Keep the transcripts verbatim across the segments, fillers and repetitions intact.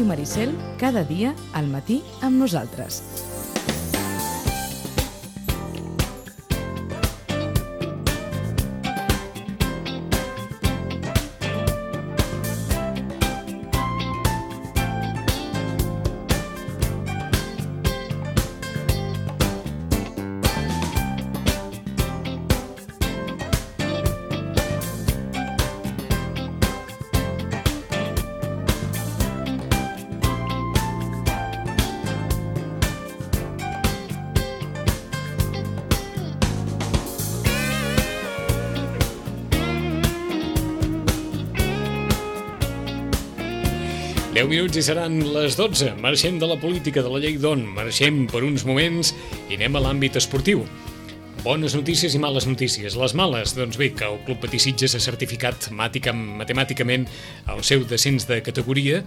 Ràdio Maricel, cada dia al matí amb nosaltres. deu minuts i seran les dotze. Marxem de la política, de la llei d'on. Marxem per uns moments i anem a l'àmbit esportiu. Bones notícies i males notícies. Les males, doncs bé, que el Club Patí Sitges ha certificat matemàticament el seu descens de categoria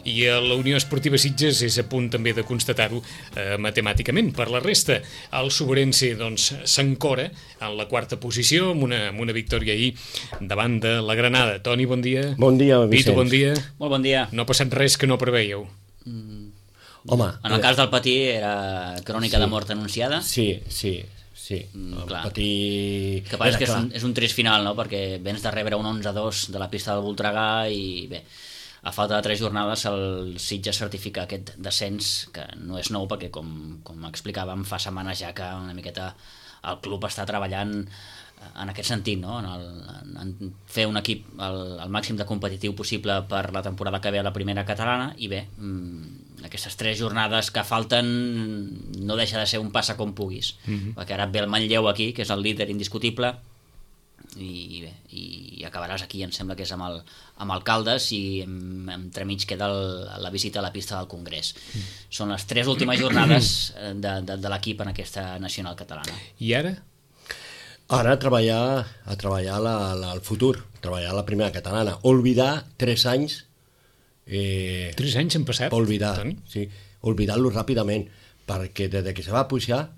i la Unió Esportiva Sitges és a punt també de constatar-ho eh, matemàticament. Per la resta, el Soberense doncs, s'encora en la quarta posició amb una, amb una victòria ahir davant de la Granada. Toni, bon dia. Bon dia, Vicenç. Vito, bon dia. Molt bon dia. No ha passat res que no preveieu. Mm. Home, en el cas del Patí era crònica sí. de mort anunciada. Sí, sí. Sí, mm, el Patí... Que passa que és un, és un trist final, no? Perquè vens de rebre un onze a dos de la pista del Voltregà i bé, a falta de tres jornades el Sitges certifica aquest descens, que no és nou perquè com, com explicàvem fa setmanes ja que una miqueta el club està treballant en aquest sentit, no? en, el, en fer un equip el, el màxim de competitiu possible per la temporada que ve a la primera catalana i bé, aquestes tres jornades que falten no deixa de ser un passa com puguis, mm-hmm. perquè ara ve el Manlleu aquí, que és el líder indiscutible i bé, i acabaràs aquí, em sembla que és amb el, amb el Caldes i entremig queda el, la visita a la pista del Congrés. Mm. Són les tres últimes jornades de, de, de l'equip en aquesta nacional catalana. I ara? Ara a treballar, a treballar la, la, el futur, treballar la primera catalana. Olvidar tres anys... Eh, tres anys han passat? Olvidar, sí, oblidar-lo ràpidament, perquè des que se va pujar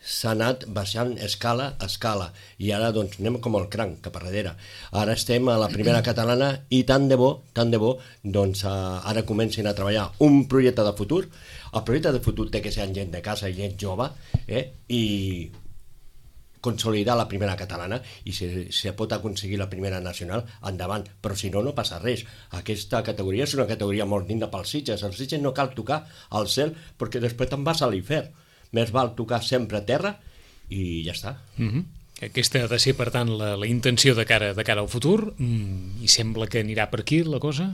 s'ha anat baixant escala a escala i ara doncs anem com el cranc cap a darrere. Ara estem a la primera catalana i tant de bo, tant de bo, doncs ara comencin a treballar un projecte de futur. El projecte de futur té que ser gent de casa i gent jove, eh? I consolidar la primera catalana i si se pot aconseguir la primera nacional, endavant, però si no, no passa res. Aquesta categoria és una categoria molt digna pels Sitges. Els Sitges no cal tocar al cel perquè després te'n vas a l'infern. Més val tocar sempre a terra i ja està. Mm-hmm. Aquesta ha de ser, per tant, la, la intenció de cara, de cara al futur mm, i sembla que anirà per aquí la cosa?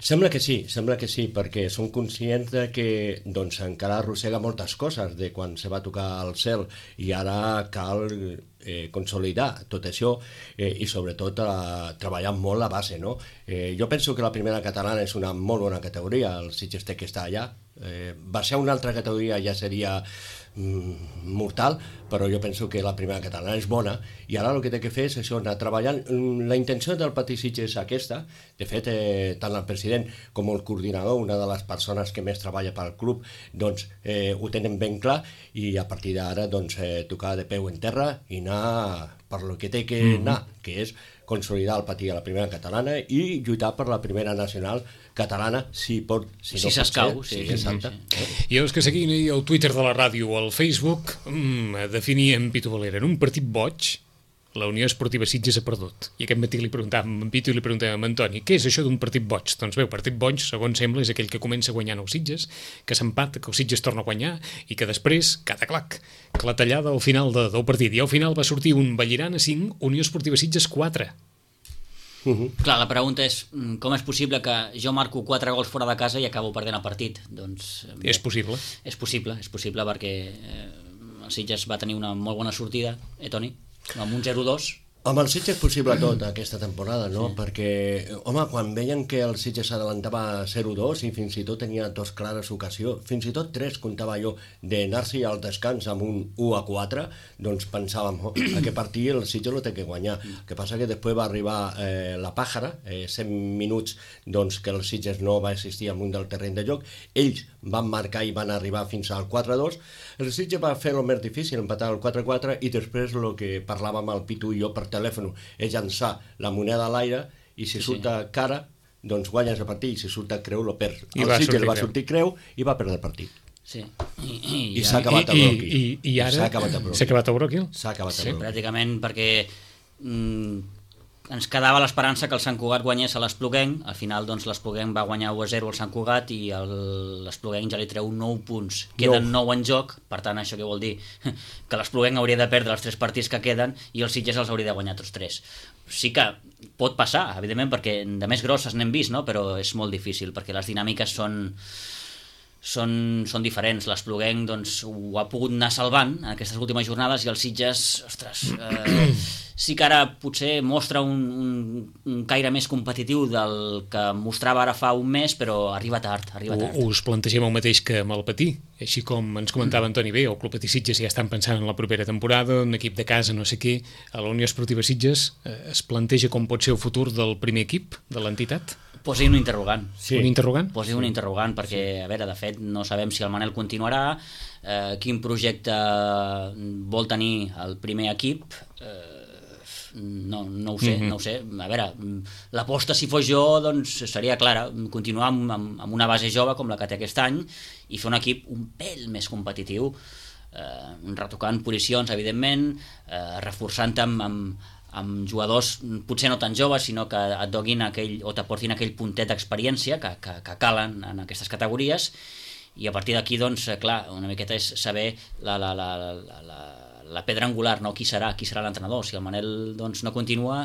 Sembla que sí, sembla que sí, perquè som conscients de que doncs, encara arrossega moltes coses de quan se va tocar al cel i ara cal eh, consolidar tot això eh, i sobretot eh, treballar molt la base, no? Eh, jo penso que la primera catalana és una molt bona categoria, el Sitges té que estar allà. Eh, baixar una altra categoria ja seria mm, mortal, però jo penso que la primera catalana és bona i ara el que té que fer és això, anar treballant. La intenció del Patí Sitges és aquesta. De fet, eh, tant el president com el coordinador, una de les persones que més treballa pel club, doncs eh, ho tenen ben clar i a partir d'ara doncs, eh, tocar de peu en terra i anar per lo que té que anar, mm-hmm. que és consolidar el Patí a la primera catalana i lluitar per la primera nacional catalana, si pot, si, si no s'escau, pot ser. sí, Sí, sí, exacte. sí, sí. I els que seguien ahir el Twitter de la ràdio o el Facebook mmm, definien Pito Valera en un partit boig. La Unió Esportiva Sitges ha perdut. I aquest matí li preguntàvem a Pito i li preguntàvem a Antoni, què és això d'un partit boig? Doncs bé, el partit boig, segons sembla, és aquell que comença guanyant els Sitges, que s'empata, que el Sitges torna a guanyar i que després, cataclac, clatellada al final de, del partit. I al final va sortir un Vallirana cinc, Unió Esportiva Sitges quatre. Uh-huh. Clar, la pregunta és com és possible que jo marco quatre gols fora de casa i acabo perdent el partit? Doncs bé, és possible. És possible, és possible perquè eh, el Sitges va tenir una molt bona sortida, eh, Toni? Amb un zero dos. Amb el Sitges és possible tot aquesta temporada, no? Sí. Perquè, home, quan veien que el Sitges s'adelantava zero dos i fins i tot tenia dos clares ocasions, fins i tot tres, comptava jo, d'anar-s'hi al descans amb un u a quatre, doncs pensàvem, oh, aquest partit el Sitges lo té que guanyar. El que passa que després va arribar eh, la Pàjara, eh, cent minuts doncs, que el Sitges no va assistir al munt del terreny de joc, ells van marcar i van arribar fins al quatre dos, el Sitges va fer el més difícil, empatar el quatre quatre i després el que parlàvem el Pitu i jo per telèfon és llançar la moneda a l'aire i si sí, surt sí. cara doncs guanyes el partit, i si surt el Creu, lo perd. I el va Sitges sortir va Creu. sortir Creu i va perdre el partit. Sí. I, i, I s'ha acabat el I, broqui. i, i ara S'ha acabat el broqui. s'ha acabat el broqui? S'ha acabat Sí, el broqui. pràcticament perquè mm, ens quedava l'esperança que el Sant Cugat guanyés a l'Espluguenc. Al final doncs, l'Espluguenc va guanyar u a zero al Sant Cugat i el- l'Espluguenc ja li treu nou punts. Queden nou en joc, per tant això què vol dir? Que l'Espluguenc hauria de perdre els tres partits que queden i el Sitges els hauria de guanyar tots tres. Sí que pot passar, evidentment, perquè de més grosses n'hem vist, no? Però és molt difícil perquè les dinàmiques són... Són, són diferents. L'Espluguenc doncs, ho ha pogut anar salvant en aquestes últimes jornades i el Sitges, ostres, eh, sí que ara potser mostra un, un, un caire més competitiu del que mostrava ara fa un mes, però arriba tard, arriba tard. Us plantegem el mateix que amb el Patí, així com ens comentava Antoni bé, el Club Patí Sitges ja estan pensant en la propera temporada, un equip de casa, no sé què, a la Unió Esportiva Sitges eh, es planteja com pot ser el futur del primer equip de l'entitat? Posi un interrogant. Sí. Un interrogant? Posi un interrogant, perquè, a veure, de fet, no sabem si el Manel continuarà, eh, quin projecte vol tenir el primer equip, eh, no, no ho sé, mm-hmm. no ho sé. A veure, l'aposta, si fos jo, doncs seria clara, continuar amb, amb, amb una base jove com la que té aquest any i fer un equip un pèl més competitiu, eh, retocant posicions, evidentment, eh, reforçant amb, amb amb jugadors potser no tan joves, sinó que et doguin aquell, o t'aportin aquell puntet d'experiència que, que, que calen en aquestes categories, i a partir d'aquí, doncs, clar, una miqueta és saber la, la, la, la, la, la pedra angular, no? Qui serà, qui serà l'entrenador. Si el Manel doncs, no continua,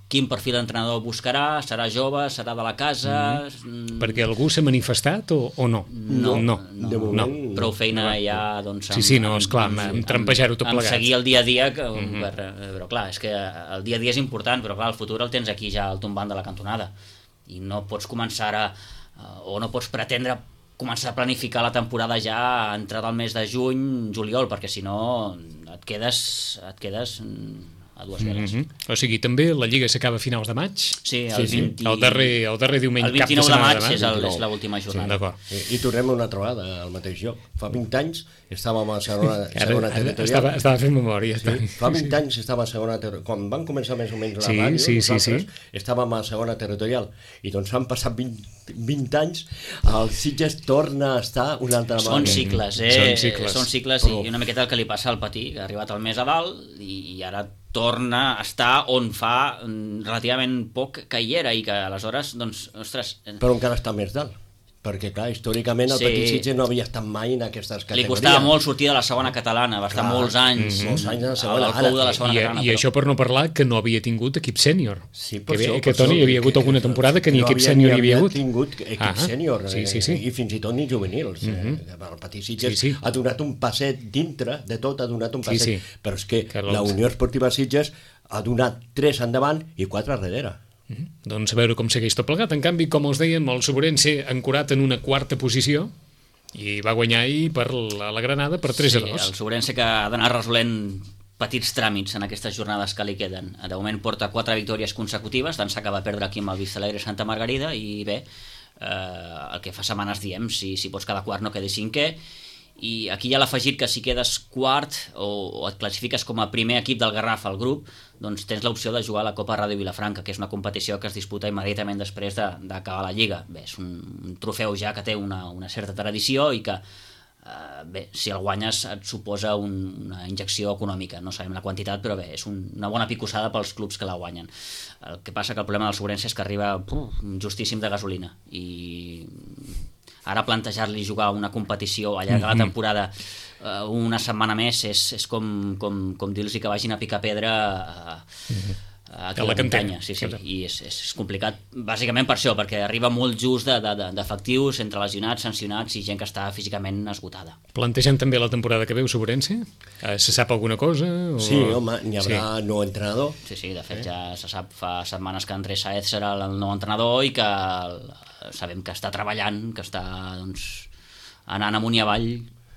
quin perfil d'entrenador buscarà? Serà jove? Serà de la casa? Mm-hmm. Perquè algú s'ha manifestat o, o no? No, no. no, De moment, no. Prou feina no. ja, doncs... Sí, sí, no, esclar, amb, amb trampejar-ho tot plegat. Amb seguir el dia a dia, que, mm-hmm. per, però clar, és que el dia a dia és important, però clar, el futur el tens aquí ja al tombant de la cantonada, i no pots començar a, o no pots pretendre començar a planificar la temporada ja a entrar al mes de juny, juliol, perquè si no et quedes, et quedes a dues veles. Mm-hmm. O sigui, també la Lliga s'acaba a finals de maig? Sí, el, sí, vint... sí. El, darrer, el darrer diumenge, el vint-i-nou cap de, de maig, de maig és, el, és l'última jornada. Sí, d'acord. I, I tornem una altra vegada al mateix lloc. Fa vint anys estàvem a segona, segona territorial. Estava, estava fent memòria. Sí, fa vint anys estava a segona territorial. Quan van començar més o menys la sí, ràdio, sí, sí, sí. estàvem a segona territorial. I doncs han passat vint, vint anys, el Sitges torna a estar una altra vegada. Són cicles, eh? Són cicles. Són cicles i una miqueta el que li passa al Patí, que ha arribat al més a dalt i, i ara torna a estar on fa relativament poc que hi era i que aleshores, doncs, ostres... Però encara està més dalt, perquè clar, històricament el Sí. Patí Sitges no havia estat mai en aquestes categories. Li costava molt sortir de la segona catalana, va estar Clar. molts anys, Mm, molts anys a la segona. al cou de la segona I, catalana. I però- això per no parlar que no havia tingut equip sènior. Sí, per que, bé, això, que per Toni, això, hi havia hagut que- alguna temporada que ni no equip havia- sènior ni hi havia havia hagut. tingut equip Ah, sènior, sí, sí, sí. eh, i fins i tot ni juvenils. Mhm. eh, El Patí Sitges Sí, sí. ha donat un passet dintre de tot, ha donat un Sí, passet, sí. però és que Que la l'Oms. Unió Esportiva Sitges ha donat tres endavant i quatre a darrere. Mhm. Doncs a veure com segueix tot plegat. En canvi, com els dèiem, el Sobrense ancorat en una quarta posició i va guanyar ahir per la, la Granada per tres a dos. Sí, el Sobrense que ha d'anar resolent petits tràmits en aquestes jornades que li queden. De moment porta quatre victòries consecutives, d'ençà que va perdre aquí amb el Vistalegre Santa Margarida, i bé, eh, el que fa setmanes diem, si, si pots quedar quart no quedis cinquè, i aquí hi ha l'afegit que si quedes quart o, o et classifiques com a primer equip del Garraf al grup, doncs tens l'opció de jugar a la Copa Ràdio Vilafranca, que és una competició que es disputa immediatament després de- d'acabar la Lliga. Bé, és un, un trofeu ja que té una, una certa tradició i que, eh, bé, si el guanyes et suposa un, una injecció econòmica, no sabem la quantitat, però bé, és un, una bona picossada pels clubs que la guanyen. El que passa que el problema del Sobrense és que arriba puf, justíssim de gasolina, i ara plantejar-li jugar una competició, allargar la temporada uh, una setmana més és, és com, com, com dir-los que vagin a picar pedra a, a, a A la cantera. sí, sí, i és, és, és complicat bàsicament per això, perquè arriba molt just de, de, d'efectius entre lesionats, sancionats i gent que està físicament esgotada. Plantegen també la temporada que ve, Sobrense? Eh, se sap alguna cosa? O... Sí, home, n'hi haurà Sí. nou entrenador. Sí, sí, de fet eh? ja se sap fa setmanes que Andrés Saez serà el nou entrenador i que el, sabem que està treballant, que està doncs, anant amunt i avall,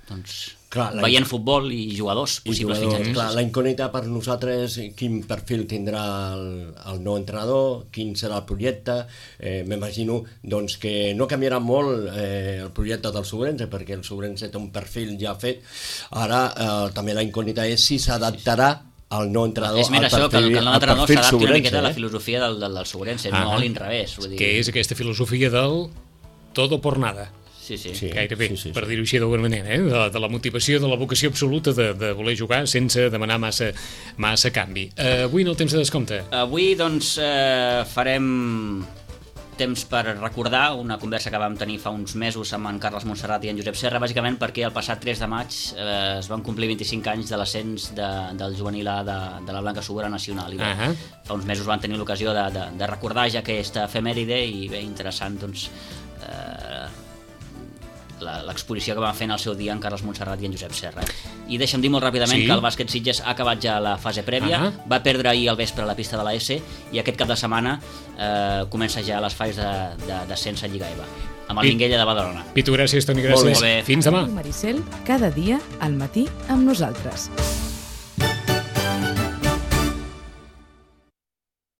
doncs, Clar, la- veient futbol i jugadors I possibles jugadors, fitxatges. clar, la incògnita per nosaltres, quin perfil tindrà el, el nou entrenador, quin serà el projecte. Eh, M'imagino doncs, que no canviarà molt eh, el projecte del Sobrense, perquè el Sobrense té un perfil ja fet. Ara eh, també la incògnita és si s'adaptarà el nou entrenador, és més el això, que el, perfil, que el nou el entrenador perfil s'adapti una Sobrense, miqueta a la eh? filosofia del, del, del Sobrense, Ah. no a l'inrevés. Vull dir... Que és aquesta filosofia del todo por nada. Sí, sí. Sí. Gairebé, sí, sí, per sí. dir-ho així d'alguna manera, eh? de, de la motivació, de la vocació absoluta de, de voler jugar sense demanar massa, massa canvi. Uh, avui en el temps de descompte. Avui, doncs, eh, farem temps per recordar una conversa que vam tenir fa uns mesos amb en Carles Montserrat i en Josep Serra, bàsicament perquè el passat tres de maig eh, es van complir vint-i-cinc anys de l'ascens de, del juvenil A de, de la Blanca Subura Nacional. I bé, Ahà. fa uns mesos van tenir l'ocasió de, de, de recordar ja aquesta efemèride i bé, interessant, doncs, eh, la- l'exposició que van fer en el seu dia en Carles Montserrat i en Josep Serra. I deixa'm dir molt ràpidament Sí. que el bàsquet Sitges ha acabat ja la fase prèvia, Ahà. va perdre ahir al vespre a la pista de la S i aquest cap de setmana eh, comença ja les fases de, de, descens a Lliga E V A amb el I- Minguella de Badalona. Pitu, gràcies, Toni, Molt gràcies. bé. Fins demà. Maricel, cada dia al matí amb nosaltres.